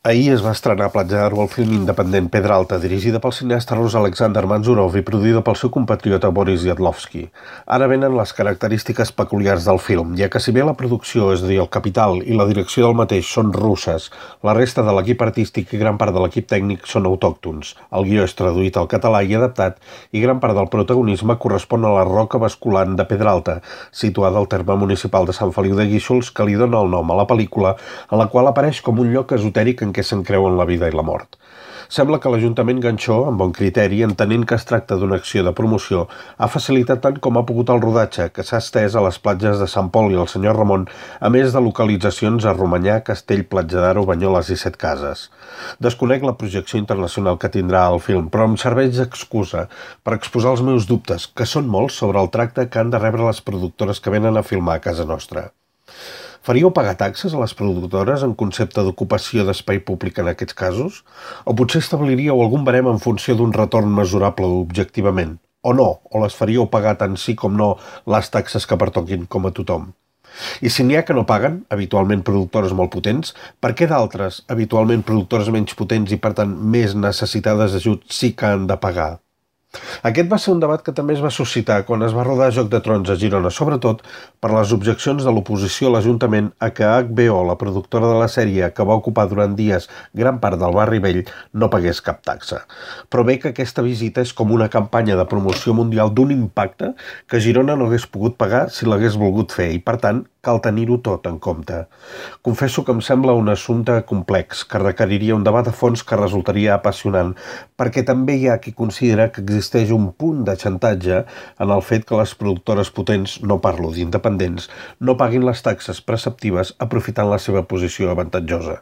Ahir es va estrenar Platja d'Aro, el film independent Pedralta, dirigida pel cineasta rus Alexander Manzurov i produïda pel seu compatriota Boris Yadlovsky. Ara venen les característiques peculiars del film, ja que si bé la producció, és a dir, el capital i la direcció del mateix són russes, la resta de l'equip artístic i gran part de l'equip tècnic són autòctons. El guió és traduït al català i adaptat i gran part del protagonisme correspon a la roca basculant de Pedralta, situada al terme municipal de Sant Feliu de Guíxols, que li dona el nom a la pel·lícula, en la qual apareix com un lloc esotèric en què se'n creuen la vida i la mort. Sembla que l'Ajuntament Ganxó, amb bon criteri, entenent que es tracta d'una acció de promoció, ha facilitat tant com ha pogut el rodatge, que s'ha estès a les platges de Sant Pol i el Senyor Ramon, a més de localitzacions a Romanyà, Castell, Platja d'Aro, Banyoles i Setcases. Desconec la projecció internacional que tindrà el film, però em serveix d'excusa per exposar els meus dubtes, que són molts, sobre el tracte que han de rebre les productores que venen a filmar a casa nostra. Faríeu pagar taxes a les productores en concepte d'ocupació d'espai públic en aquests casos? O potser establiríeu algun barem en funció d'un retorn mesurable objectivament? O no? O les faríeu pagar tant sí com no les taxes que pertoquin com a tothom? I si n'hi ha que no paguen, habitualment productores molt potents, per què d'altres, habitualment productores menys potents i per tant més necessitades d'ajut, sí que han de pagar? Aquest va ser un debat que també es va suscitar quan es va rodar Joc de Trons a Girona, sobretot per les objeccions de l'oposició a l'Ajuntament a que HBO, la productora de la sèrie que va ocupar durant dies gran part del barri vell, no pagués cap taxa. Però bé que aquesta visita és com una campanya de promoció mundial d'un impacte que Girona no hagués pogut pagar si l'hagués volgut fer i, per tant, cal tenir-ho tot en compte. Confesso que em sembla un assumpte complex, que requeriria un debat a fons que resultaria apassionant, perquè també hi ha qui considera que existeix un punt de xantatge en el fet que les productores potents, no parlo d'independents, no paguin les taxes preceptives aprofitant la seva posició avantatjosa.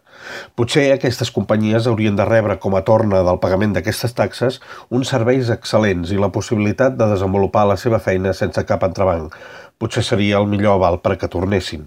Potser aquestes companyies haurien de rebre com a torna del pagament d'aquestes taxes uns serveis excel·lents i la possibilitat de desenvolupar la seva feina sense cap entrebanc. Potser seria el millor aval per a que tornessin.